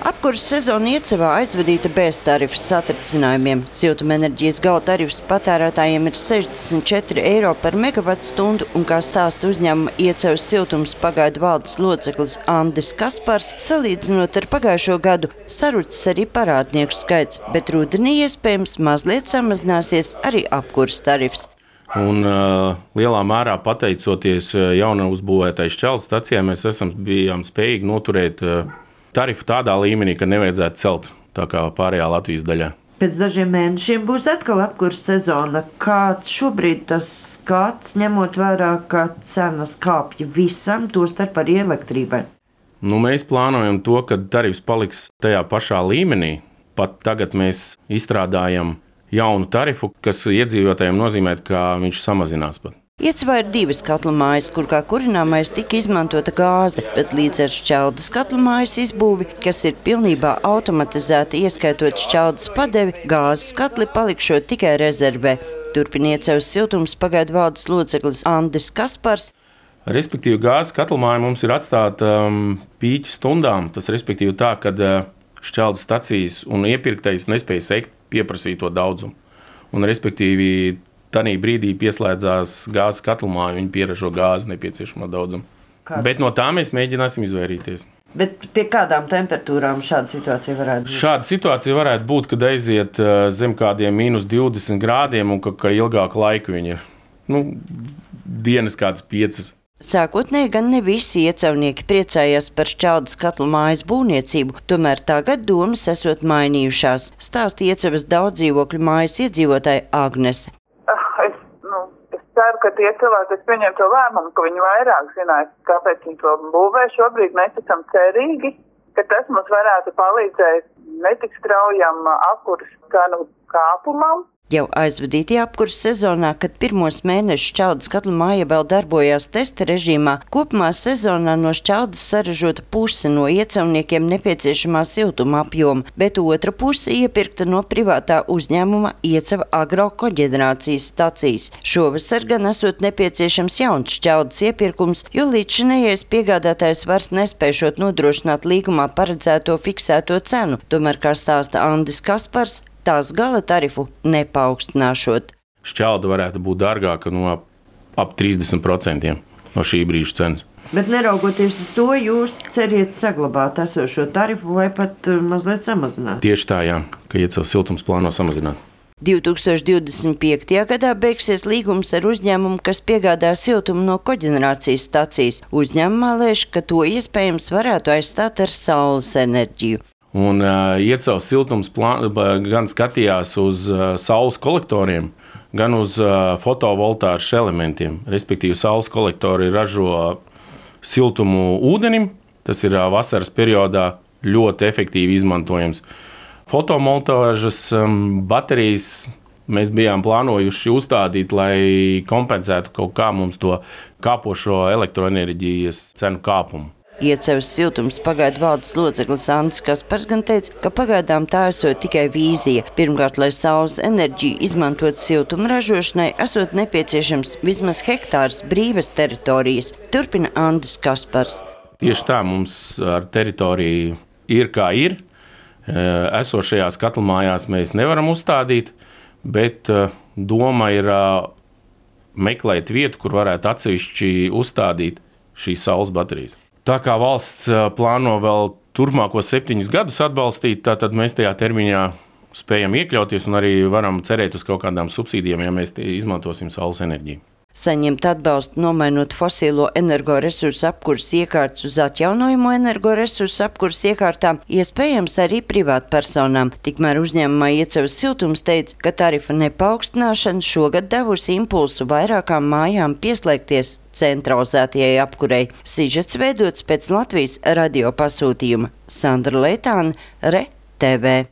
Apkures sezona Iecavā aizvadīta bez tarifas satricinājumiem. Siltumenerģijas gala tarifs patērētājiem ir 64 eiro par megavatstundu, un kā stāsta uzņēmuma Iecavas siltums pagaidu valdes loceklis Andis Kaspars, salīdzinot ar pagājušo gadu, sarucis arī parādnieku skaits, bet rudenī iespējams mazliet samazināsies arī apkures tarifs. Un lielā mērā pateicoties jauna uzbūvētai šķeldu stacijai, mēs bijām spējīgi noturēt tarifu tādā līmenī, ka nevajadzētu celt tā kā pārējā Latvijas daļā. Pēc dažiem mēnešiem būs atkal apkures sezona. Kāds šobrīd tas skats, ņemot vērā, ka cenas kāpja visam, tostarp arī elektrībai? Mēs plānojam to, ka tarifs paliks tajā pašā līmenī. Pat tagad mēs izstrādājam jaunu tarifu, kas iedzīvotājiem nozīmē, ka viņš samazinās pat. Iecavā ir 2 katlu mājas, kur kā kurināmais tika izmantota gāze, bet līdz ar šķeldas katlu mājas izbūvi, kas ir pilnībā automatizēta, ieskaitot šķeldas padevi, gāzes katli palikšot tikai rezervē. Turpina Iecavas siltums pagaidu valdes loceklis Andis Kaspars. Respektīvi, gāzes katlu māja mums ir atstāta pīķa stundām. Tas respektīvi tā, kad šķeldas stacijas un iepirktais nespēja sekt pieprasīto daudzumu. Un respektīvi, tanī brīdī pieslēdzās gāzes katlumā, viņi pieražo gāzi nepieciešamo daudzumu. Bet no tā mēs mēģināsim izvairīties. Bet pie kādām temperatūrām šāda situācija varētu būt? Šāda situācija varētu būt, kad aiziet zem kādiem -20 grādiem un ka ilgāku laiku viņi ir. Dienas kādas 5. Sākotnēji gan ne visi iecavnieki priecājās par šķeldas katlu mājas būvniecību, tomēr tagad domas esot mainījušās, stāsta Iecavas daudzdzīvokļu mājas iedzīvotāja Agnese. Es ceru, ka tie cilvēki, kas pieņem to lēmumu, ka viņi vairāk zinās, kāpēc viņi to būvē. Šobrīd mēs esam cerīgi, ka tas mums varētu palīdzēt netik straujam apkures cenu kāpumam. Jau aizvadītajā apkures sezonā, kad pirmos mēnešus šķeldas katlu māja vēl darbojās testa režīmā, kopumā sezonā no šķeldas saražota puse no iecavniekiem nepieciešamā siltuma apjoma, bet otra puse iepirkta no privātā uzņēmuma Iecava agrokoģenerācijas stacijas. Šovasar gan esot nepieciešams jauns šķeldas iepirkums, jo līdzšinējais piegādātājs vairs nespēšot nodrošināt līgumā paredzēto fiksēto cenu. Tomēr, kā stāsta Andis Kaspars, tās gala tarifu nepaukstināšot. Šķelda varētu būt dārgāka no ap 30% no šī brīža cenas. Bet neraugoties uz to, jūs ceriet saglabāt esošo tarifu vai pat mazliet samazināt? Tieši tā, jā, ka Iecavas siltums plāno samazināt. 2025. gadā beigsies līgums ar uzņēmumu, kas piegādā siltumu no koģenerācijas stacijas. Uzņēmumā lēš, ka to iespējams varētu aizstāt ar saules enerģiju. Un Iecavas siltums gan skatījās uz saules kolektoriem, gan uz fotovoltāšu elementiem. Respektīvi, saules kolektori ražo siltumu ūdenim, tas ir vasaras periodā ļoti efektīvi izmantojams. Fotovoltāžas baterijas mēs bijām plānojuši uzstādīt, lai kompensētu kaut kā mums to kāpošo elektroenerģijas cenu kāpumu. Iecavas siltums pagaidu valdes loceklis Andis Kaspars gan teica, ka pagaidām tā esot tikai vīzija. Pirmkārt, lai saules enerģiju izmantot siltuma ražošanai, esot nepieciešams vismaz hektārs brīvas teritorijas, turpina Andis Kaspars. Tieši tā, mums ar teritoriju ir kā ir. Esošajās katlumājās mēs nevaram uzstādīt, bet doma ir meklēt vietu, kur varētu atsevišķi uzstādīt šīs saules baterijas. Tā kā valsts plāno vēl turpmākos 7 gadus atbalstīt, tad mēs tajā termiņā spējam iekļauties un arī varam cerēt uz kaut kādām subsīdijām, ja mēs izmantosim saules enerģiju. Saņemt atbalstu nomainot fosilo energoresursu apkures iekārtas uz atjaunojamo energoresursu apkures iekārtām iespējams arī privātpersonām. Tikmēr uzņēmumā Iecavas siltums teica, ka tarifa nepaukstināšana šogad devusi impulsu vairākām mājām pieslēgties centralizētajai apkurei. Sižets veidots pēc Latvijas radio pasūtījuma. Sandra Leitāne, RTV.